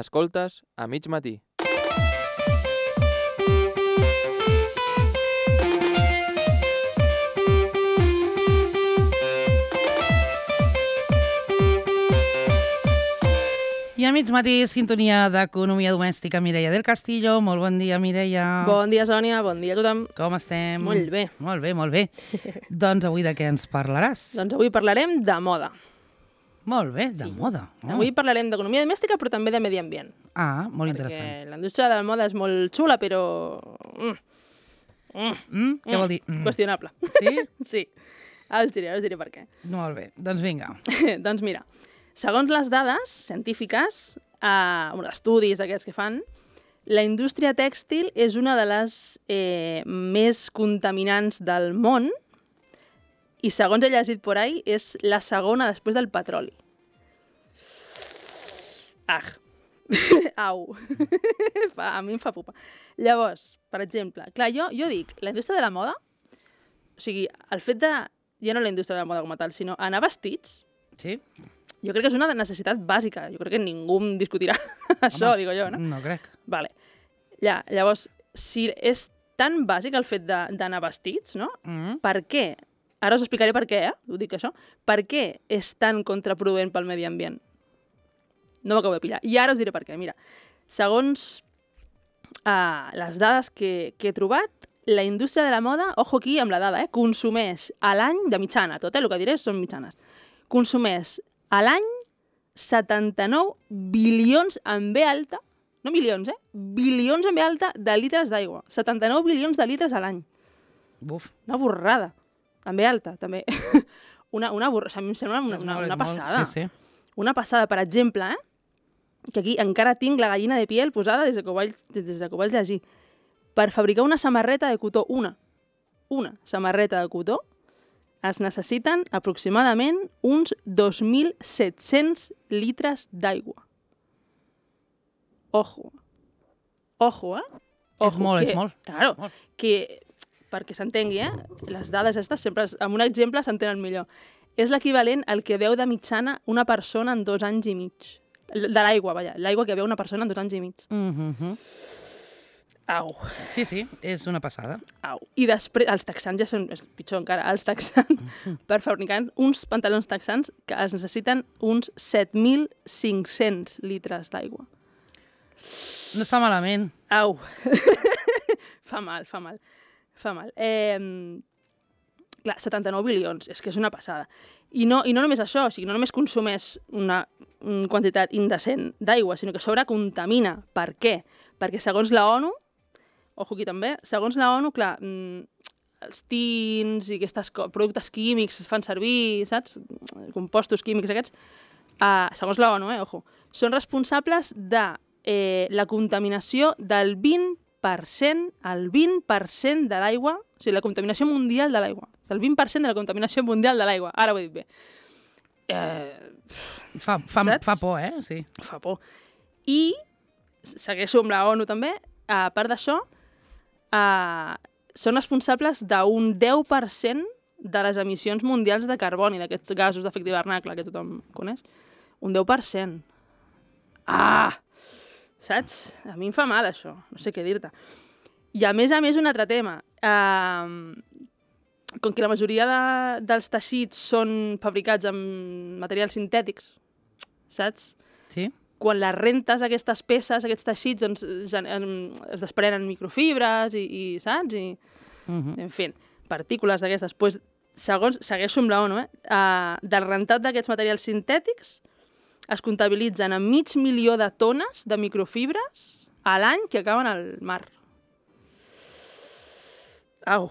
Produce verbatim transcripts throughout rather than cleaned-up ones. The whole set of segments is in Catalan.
Escoltes a mig matí. I a mig matí, sintonia d'Economia Domèstica, Mireia del Castillo. Molt bon dia, Mireia. Bon dia, Sònia. Bon dia a tothom. Com estem? Molt bé. Molt bé, molt bé. Doncs avui de què ens parlaràs? Doncs avui parlarem de moda. Molt bé, de Sí. moda. Oh. Avui parlarem d'economia domèstica, però també de medi ambient. Ah, molt perquè interessant. la indústria de la moda és molt xula, però... Mm. Mm. Mm, què vol dir? Mm. Qüestionable. Sí? Sí. Ara us diré, ara us diré per què. Molt bé, doncs vinga. Doncs mira, segons les dades científiques, eh, bueno, estudis d'aquests que fan, la indústria tèxtil és una de les eh, més contaminants del món i, segons he llegit por ahí, és la segona després del petroli. Ah! Au! Fa, a mi em fa pupa. Llavors, per exemple, clar, jo, jo dic, la indústria de la moda, o sigui, el fet de, ja no la indústria de la moda com a tal, sinó anar vestits, Sí? jo crec que és una necessitat bàsica. Jo crec que ningú em discutirà això, digo jo, no? No crec. Vale. Ja, llavors, si és tan bàsic el fet de- d'anar vestits, no? Mm. Per què? Ara us explicaré per què, eh? Ho dic això. Per què és tan contraproduent pel medi ambient? No m'acabo de pillar. I ara us diré per què. Mira, segons uh, les dades que, que he trobat, la indústria de la moda, ojo aquí amb la dada, eh? Consumeix a l'any, de mitjana, tot, eh? El que diré són mitjanes. Consumeix a l'any setanta-nou bilions en B alta, no milions, eh? Bilions en B alta de litres d'aigua. setanta-nou bilions de litres a l'any. Buf. Una borrada. En B alta, també. una, una borrada. A mi em sembla una, És una, molt, és una molt. passada. Sí, sí. Una passada, per exemple, eh? Que aquí encara tinc la gallina de piel posada des que ho vaig, des que ho vaig llegir. Per fabricar una samarreta de cotó, una, una samarreta de cotó, es necessiten aproximadament uns dos mil set-cents litres d'aigua. Ojo. Ojo, eh? És molt, que, és molt. Claro, Molt. que, perquè s'entengui, eh? Les dades aquestes sempre, es- amb un exemple s'entenen millor. És l'equivalent al que veu de mitjana una persona en dos anys i mig. De l'aigua, vaja, l'aigua que veu una persona en dos anys i mig. Mm -hmm. Au, Sí, sí, és una passada. au. I després, els texans ja són, és pitjor encara, els texans, per fabricar uns pantalons texans que es necessiten uns set mil cinc-cents litres d'aigua. No està malament. Au. Fa mal, fa mal. Fa mal. Eh, clar, setanta-nou bilions, és que és una passada. I no, i no només això, o sigui, no només consumeix una, una quantitat indecent d'aigua, sinó que a sobre contamina. Per què? Perquè segons la ONU, ojo aquí també, segons la ONU, clar, mm, els tins i aquests productes químics es fan servir, saps? Compostos químics aquests, uh, segons la ONU, eh, ojo, són responsables de eh, la contaminació del vint per cent, el vint per cent de l'aigua, o sigui, la contaminació mundial de l'aigua, del vint per cent de la contaminació mundial de l'aigua. Ara ho he dit bé. Eh, Fa, fa, Saps? fa por, eh? Sí. fa por. I segueixo amb la ONU també, a part d'això, eh, són responsables d'un deu per cent de les emissions mundials de carboni, d'aquests gasos d'efecte hivernacle que tothom coneix. Un deu per cent. Ah! Saps? A mi em fa mal, això. No sé què dir-te. I a més a més, un altre tema. Uh, com que la majoria de, dels teixits són fabricats amb materials sintètics, saps? Sí? Quan les rentes, aquestes peces, aquests teixits, doncs, gen- em- es desprenen microfibres i, i saps? I, Mm -hmm. en fi, partícules d'aquestes. Pues, segons, segueixo amb la ONU, eh? Uh, del rentat d'aquests materials sintètics es comptabilitzen en mig milió de tones de microfibres a l'any que acaben al mar. Au.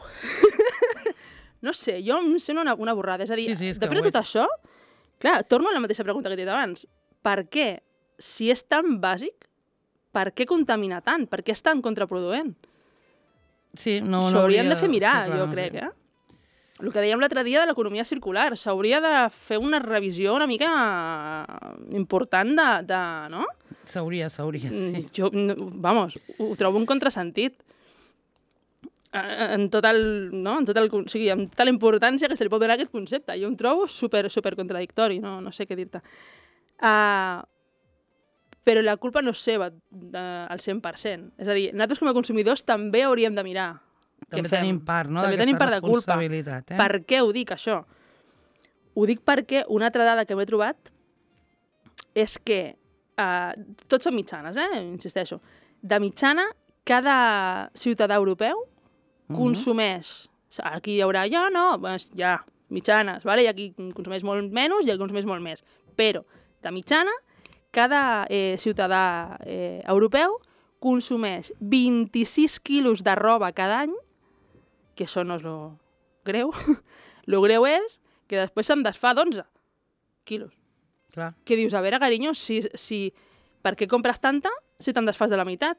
No sé, jo em sembla una, una borrada. És a dir, Sí, sí, és que després ho de tot és. això, clar, torno a la mateixa pregunta que t'he dit abans. Per què, si és tan bàsic, per què contamina tant? Per què és tan contraproduent? Sí, no, S'ho no hauríem hauria- de fer mirar, sí, clar, jo no crec, sé. eh? El que dèiem l'altre dia de l'economia circular. S'hauria de fer una revisió una mica important de... de no? S'hauria, s'hauria, sí. Mm, Jo, no, vamos, ho, ho trobo un contrasentit. Eh, En tot el, no? en tot el, o sigui, amb tota la importància que se li pot donar a aquest concepte. Jo em trobo super, super contradictori, no, no sé què dir-te. Uh, però la culpa no és seva de, al cent per cent. És a dir, nosaltres com a consumidors també hauríem de mirar També què fem. tenim part, no?, També d'aquesta tenim part de culpa. responsabilitat. Eh? Per què ho dic, això? Ho dic perquè una altra dada que m'he trobat és que, uh, tots són mitjanes, eh? Insisteixo, de mitjana, cada ciutadà europeu Mhm. consumeix, aquí hi haurà, ja no, doncs ja, mitjanes, vale? Hi ha qui consumeix molt menys i qui consumeix molt més, però, de mitjana, cada eh, ciutadà eh, europeu consumeix vint-i-sis quilos de roba cada any, que això no és lo greu, lo greu és que després se'n desfà d'onze quilos. Clar. Que dius, a veure, carinyo, si, si, per què compres tanta si te'n desfàs de la meitat?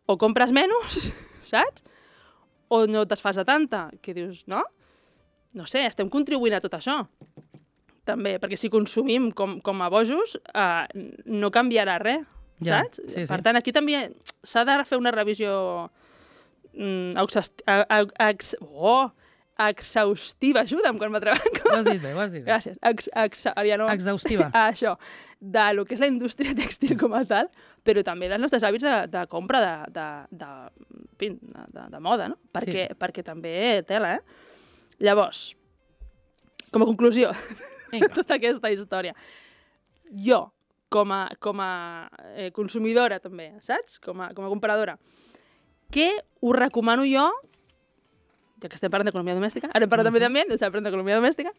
O compres menys, saps? O no et desfàs de tanta? Que dius, no? No sé, estem contribuint a tot això. També, perquè si consumim com, com a bojos, eh, no canviarà res, Ja, saps? sí, sí. Per tant, aquí també s'ha de fer una revisió mm, exhaust... ex... oh, exhaustiva. Ajuda'm quan m'atrevec. Ho has dit bé, ho has dit bé. Gràcies. Ex, ex, ja no... Exhaustiva. Ah, això, de lo que és la indústria tèxtil com a tal, però també dels nostres hàbits de, de compra de, de, de, de, de, de moda, no? Perquè, sí. perquè també tela, eh? Llavors, com a conclusió de tota aquesta història, jo, com a, com a eh, consumidora també, saps? Com a, com a compradora, què us recomano jo, ja que estem parlant d'economia domèstica, ara hem parlat uh-huh. també d'ambient, estem parlant d'economia domèstica,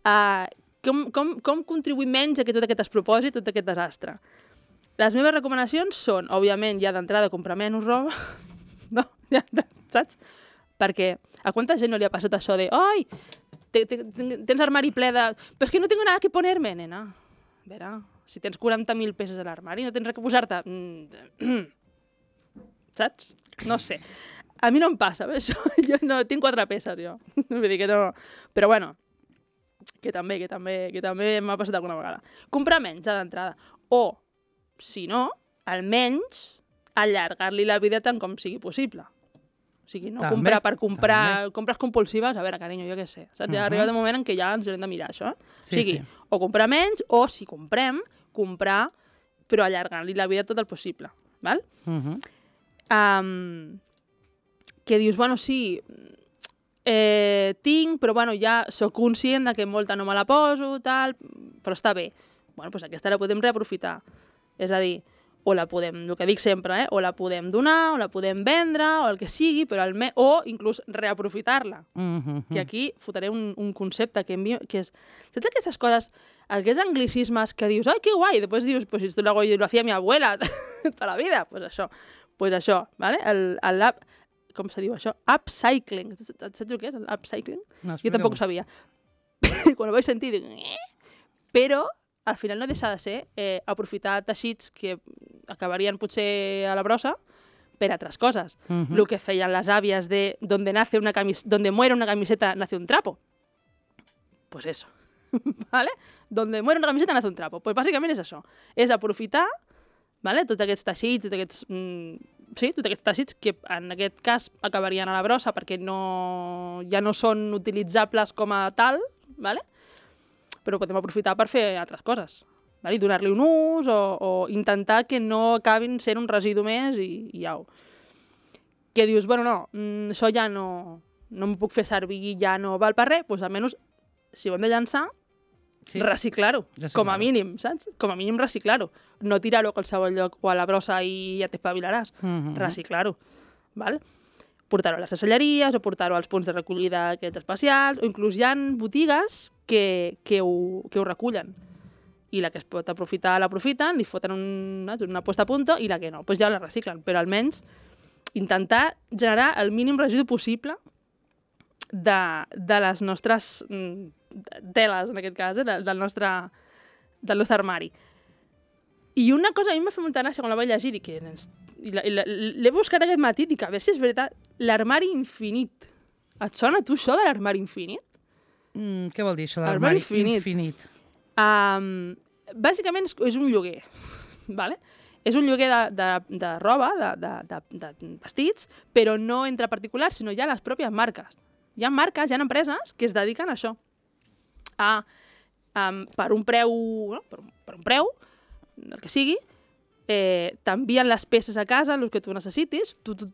uh, com, com, com contribuir menys a que tot aquest despropòsit, tot aquest desastre? Les meves recomanacions són, òbviament, ja d'entrada comprar menys roba, no? Ja, saps? Perquè a quanta gent no li ha passat això de oi, te, te, tens armari ple de... Però és que no tengo nada que ponerme, nena. A veure, si tens quaranta mil peces a l'armari, no tens res que posar-te. Saps? No sé. A mi no em passa, això. Jo no, tinc quatre peces, jo. Vull dir que no... Però bueno, que també, que també, que també m'ha passat alguna vegada. Comprar menys, ja d'entrada. O, si no, almenys allargar-li la vida tant com sigui possible. O sigui, no també, comprar per comprar... també. Compres compulsives, a veure, carinyo, jo què sé. Saps? Ja Uh-huh. ha arribat un moment en què ja ens haurem de mirar això. Sí, o sigui, sí. o comprar menys, o si comprem, comprar, però allargant-li la vida tot el possible. Val? Uh-huh. Um, que dius, bueno, sí, eh, tinc, però bueno, ja sóc conscient de que molta no me la poso, tal, però està bé. Bueno, doncs aquesta la podem reaprofitar. És a dir, o la podem, el que dic sempre, eh, o la podem donar, o la podem vendre, o el que sigui, però al me o inclús reaprofitar-la. Uh-huh. Que aquí fotré un, un concepte que, envio, que és... Saps aquestes coses, aquests anglicismes que dius, ai, que guai, i després dius, pues esto lo, hago, lo hacía mi abuela tota la vida, pues això, pues això, ¿vale? El, el app, com se diu això? Upcycling. Saps el que és, el upcycling? No, Jo tampoc ho sabia. Quan ho vaig sentir, dic... Eh? Però, al final no deixa de ser eh, aprofitar teixits que acabarien potser a la brossa per altres coses. Uh-huh. Lo que feien les àvies de donde, nace una camis donde muere una camiseta nace un trapo. Pues eso. ¿Vale? Donde muere una camiseta nace un trapo. Pues bàsicament és això. És aprofitar, ¿vale? Tots aquests teixits, tots aquests, mm, sí, tots aquests teixits que en aquest cas acabarien a la brossa perquè no, ja no són utilitzables com a tal, ¿vale? Però podem aprofitar per fer altres coses, ¿vale? I donar-li un ús o, o intentar que no acabin sent un residu més i, i au. Que dius, bueno, no, mm, això ja no, no em puc fer servir, ja no val per res, doncs almenys, si ho hem de llançar, Sí. reciclar-ho, Reciclar-ho. com a mínim, saps? Com a mínim reciclar-ho. No tirar-ho a qualsevol lloc o a la brossa i ja t'espavilaràs. Uh-huh. Reciclar-ho, val? Portar-ho a les ceselleries o portar-ho als punts de recollida aquests especials, o inclús hi ha botigues que, que, ho, que ho recullen. I la que es pot aprofitar l'aprofiten, li foten un, una puesta a punto i la que no, doncs ja la reciclen. Però almenys intentar generar el mínim residu possible de, de les nostres mm, teles, en aquest cas, eh, de, del, nostre, del nostre armari. I una cosa a mi m'ha fet molta gràcia quan la vaig llegir, dic, i la, i la, l'he buscat aquest matí, dic, a veure si és veritat, l'armari infinit. Et sona a tu això de l'armari infinit? Mm, què vol dir això Armari d'armari infinit. infinit? Um, bàsicament és, és un lloguer, vale? És un lloguer de, de, de roba, de, de, de, de vestits, però no entre particulars, sinó ja les pròpies marques. Hi ha marques, hi ha empreses que es dediquen a això. A, um, per un preu, no? per, un, per un preu, el que sigui, eh, t'envien les peces a casa, el que tu necessitis, tu, tu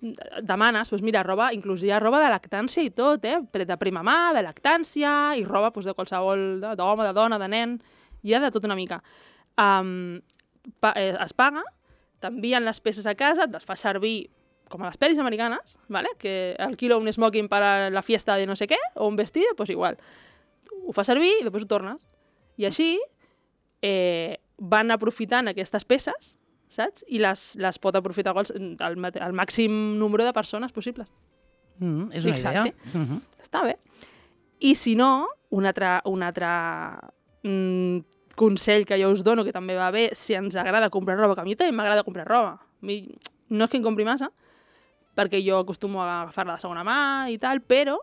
demanes, doncs mira, roba, inclús hi ha roba de lactància i tot, eh? De prima mà, de lactància, i roba doncs, de qualsevol, d'home, de dona, de nen, hi ha de tot una mica. Um, pa, eh, es paga, t'envien les peces a casa, et les fa servir com a les pel·lis americanes, ¿vale? Que alquilo un smoking para la fiesta de no sé què, o un vestido, pues igual. Ho fa servir i després ho tornes. I així eh, van aprofitant aquestes peces, saps? I les, les pot aprofitar el, el, el màxim número de persones possibles. Mm, és una Exacte. idea. Mm -hmm. Està bé. I si no, un altre, un altre mm, consell que jo us dono, que també va bé, si ens agrada comprar roba, que a mi també m'agrada comprar roba. A mi no és que en compri massa, perquè jo acostumo a agafar-la de segona mà i tal, però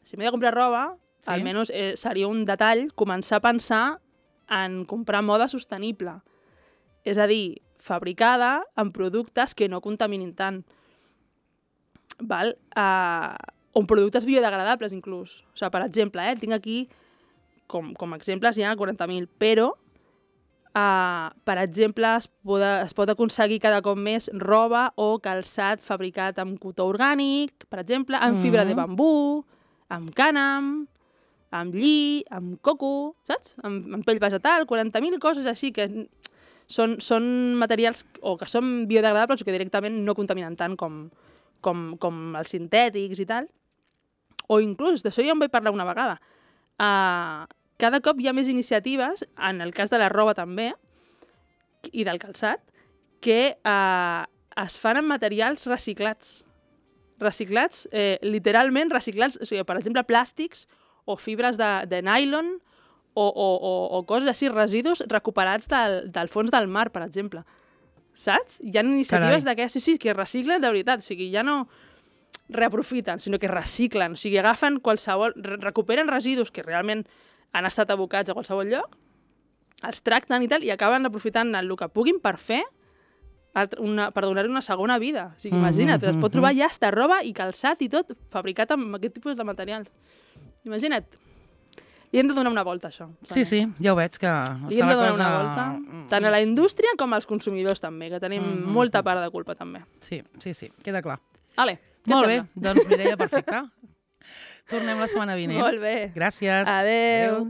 si m'he de comprar roba, sí. almenys eh, seria un detall començar a pensar en comprar moda sostenible. És a dir, fabricada amb productes que no contaminin tant. Val? Uh, o productes biodegradables, inclús. O sigui, per exemple, eh, tinc aquí, com, com a exemples, hi ha quaranta mil, però, uh, per exemple, es, pot, es pot aconseguir cada cop més roba o calçat fabricat amb cotó orgànic, per exemple, amb mm. fibra de bambú, amb cànem, amb lli, amb coco, saps? Amb, amb pell vegetal, quaranta mil coses així que són, són materials o que són biodegradables o que directament no contaminen tant com, com, com els sintètics i tal. O inclús, d'això ja en vaig parlar una vegada, uh, cada cop hi ha més iniciatives, en el cas de la roba també, i del calçat, que uh, es fan amb materials reciclats. Reciclats, eh, literalment reciclats, o sigui, per exemple, plàstics o fibres de, de nylon o, o, o, o coses així, residus recuperats del, del fons del mar, per exemple. Saps? Hi ha iniciatives d'aquestes, sí, sí, que reciclen de veritat, o sigui, ja no reaprofiten, sinó que reciclen, o sigui, agafen qualsevol, recuperen residus que realment han estat abocats a qualsevol lloc, els tracten i tal, i acaben aprofitant el que puguin per fer, una, per donar-hi una segona vida. O sigui, imagina't, es pot trobar ja hasta roba i calçat i tot fabricat amb aquest tipus de materials. Imagina't. Li hem de donar una volta, això. Sí, sí, ja ho veig, que li hem de donar una volta, tant a la indústria com als consumidors també, que tenim mm -hmm. molta part de culpa també. Sí, sí, sí, queda clar. Vale, molt bé, doncs Mireia, perfecte. Tornem la setmana vinent. Molt bé. Gràcies. Adéu. Adéu.